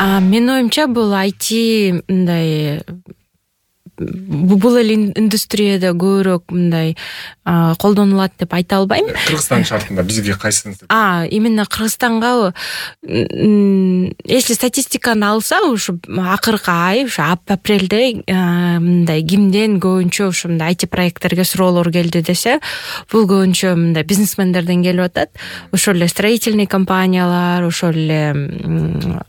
Менин оюмча бул IT мындай бул эле индустрияда көбүрөөк мындай колдонулат деп айта албайм. Кыргызстан шартында бизге кайсысын? Именно Кыргызстанга если статистиканы алса, ушу акыркы ай, ушу апрелде мындай кимден көбүнчө ушу мындай IT проекттерге суроолор келди десе, бул көбүнчө мындай бизнесмендерден келип атат. Ошол эле строительный компаниялар, ошол эле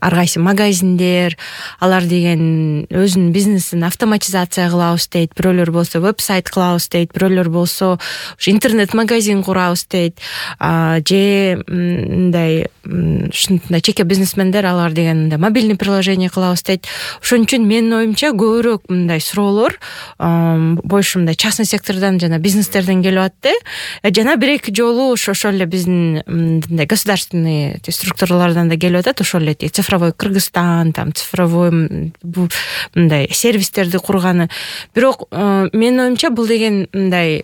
ар кайсы магазиндер, алар деген өзүнүн бизнесин автоматизация кылабыз дейт, бирөөлөр болсо веб-сайт кылабыз дейт, бирөөлөр болсо интернет-магазин курабыз дейт, же мындай ушундай чеке бизнесмендер алар деген мобильный приложение кылабыз дейт. Ошон үчүн менин оюмча көбүрөөк мындай суроолор больше мындай частный сектордон жана бизнестерден келип атты. Жана бир-эки жолу ошол эле биздин мындай государственный структуралардан да келип атат. Ошол эле цифровой Кыргызстан, там цифровой мындай сервистерди курганы. Бирок менин оюмча бул деген мындай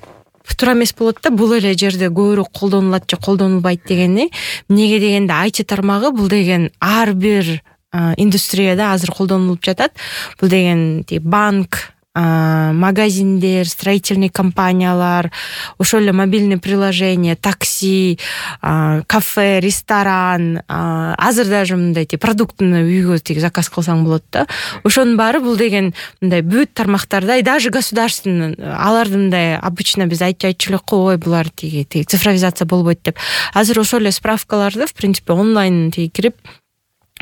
туура эмес болот да, бул эле жерде көбүрөөк колдонулат же колдонулбайт дегени. Эмнеге дегенде IT тармагы бул деген ар бир индустрияда азыр колдонулуп жатат. Бул деген банк, магазиндер, строительный компаниялар, ошол эле мобильный приложение, такси, кафе, ресторан, азыр даже мындай продуктыны үйгө заказ кылсаң болот да. Ошонун баары бул деген мындай бүт тармактарда, и даже государственный, аларды мындай обычно биз айтчу элек ой булар цифровизация болбойт деп. Азыр ошол эле справкаларды в принципе онлайн кирип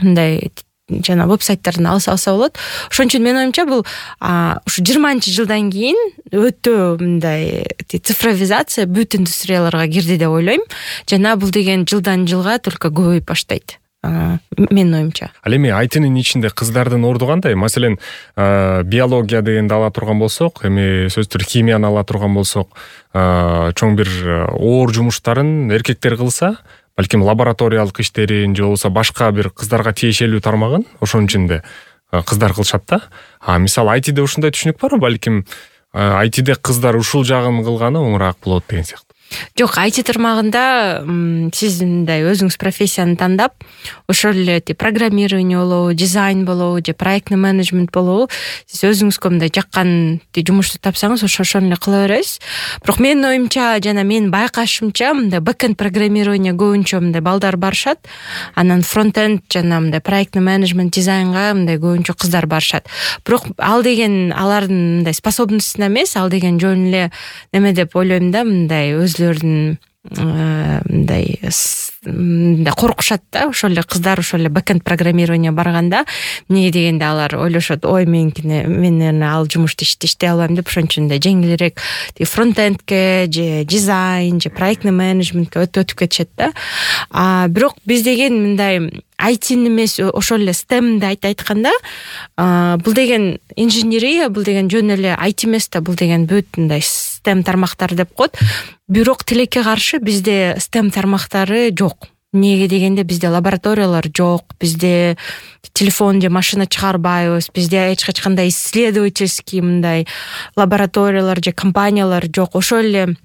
мындай жана веб-сайттардан алса болот. Ошон үчүн менин оюмча бул ушу 20-жылдан кийин өтө мындай цифровизация бүт индустрияларга кирди деп ойлойм. Жана бул деген жылдан жылга только көбөйүп баштайт. Менин оюмча. Ал эми айтынын ичинде кыздардын орду кандай? Маселен, биология дегенди ала турган болсок, эми сөзсүз химияны ала турган болсок, чоң бир оор жумуштарын эркектер кылса, балким лабораториялык иштерин же болбосо башка бир кыздарга тиешелүү тармагын ошонун ичинде кыздар кылышат да. Мисалы ITде ушундай түшүнүк барбы? Балким ITде кыздар ушул жагын кылганы оңураак болот деген сыяктуу. Жок, IT тармагында сиз мындай өзүңүз профессияны тандап, ошол эле программирование болобу, дизайн болобу, же проектный менеджмент болобу, сиз өзүңүзгө мындай жаккан жумушту тапсаңыз, ошону эле кыла бересиз. Бирок менин оюмча жана менин байкашымча мындай бэкенд программирование көбүнчө мындай балдар барышат. Анан фронтенд жана мындай проектный менеджмент, дизайнга мындай көбүнчө кыздар барышат. Бирок ал деген алардын мындай способностуна эмес, ал деген жөн эле неме деп ойлойм да, мындай өзлөрүнүн мындай коркушат да, ошол эле кыздар ошол эле бэкенд программирование барганда. Эмнеге дегенде алар ойлошот, ой мен ал жумушту иштей албайм деп, ошон үчүн да жеңилирээк фронтендке же дизайн же проектный менеджментке өтүп кетишет да. Бирок биз деген мындай IT эмес, ошол эле STEMди айтканда, бул деген инженерия, бул деген жөн эле IT эмес да, бул деген бүт мындай STEM тармактар деп коет. Бирок тилекке каршы бизде STEM тармактары жок. Эмнеге дегенде бизде лабораториялар жок, бизде телефон же машина чыгарбайбыз, бизде эч кандай исследовательский мындай лабораториялар же компаниялар жок. Ошол эле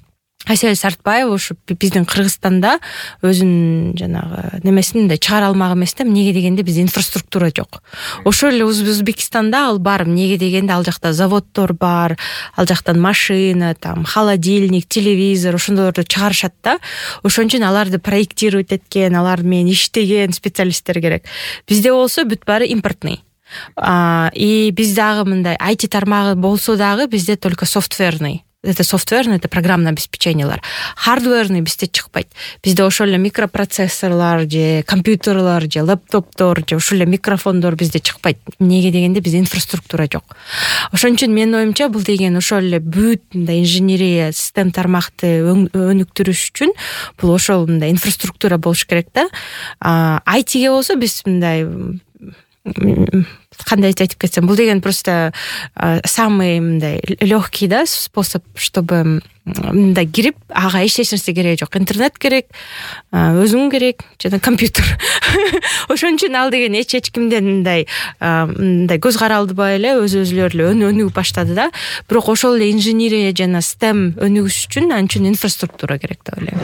Асель Сартбаева ушу биздин Кыргызстанда өзүнүн жанагы немесин да чыгара алмак эмес да. Эмнеге дегенде бизде инфраструктура жок. Ошол эле Өзбекстанда ал бар. Эмнеге дегенде ал жакта заводдор бар, ал жактан машина, там холодильник, телевизор, ошондойлорду чыгарышат да. Ошон үчүн аларды проектировать эткен, алар менен иштеген специалисттер керек. Бизде болсо бүт баары импортный. И биз дагы мындай IT тармагы болсо дагы бизде только софтверный. Это софтверный, это программное обеспечениялар. Хардверный бизде чыкпайт. Бизде ошол эле микропроцессорлор же компьютерлор же лаптоптор же ошол эле микрофондор бизде чыкпайт. Эмнеге дегенде бизде инфраструктура жок. Ошон үчүн менин оюмча бул деген ошол эле бүт мындай инженерия, систем тармакты өнүктүрүш үчүн бул ошол мындай инфраструктура болуш керек да. ITге болсо биз мындай кандай айтып кетсем, бул деген просто самый мындай легкий да способ, чтобы мындай кирип, ага эч нерсе кереги жок. Интернет керек, өзүң керек, жана компьютер. Ошон үчүн ал деген эч кимден мындай көз каралдыбай эле өзүлөрү өнүгүп баштады да. Бирок ошол эле инженерия жана STEM өнүгүш үчүн анча инфраструктура керек деп ойлойм.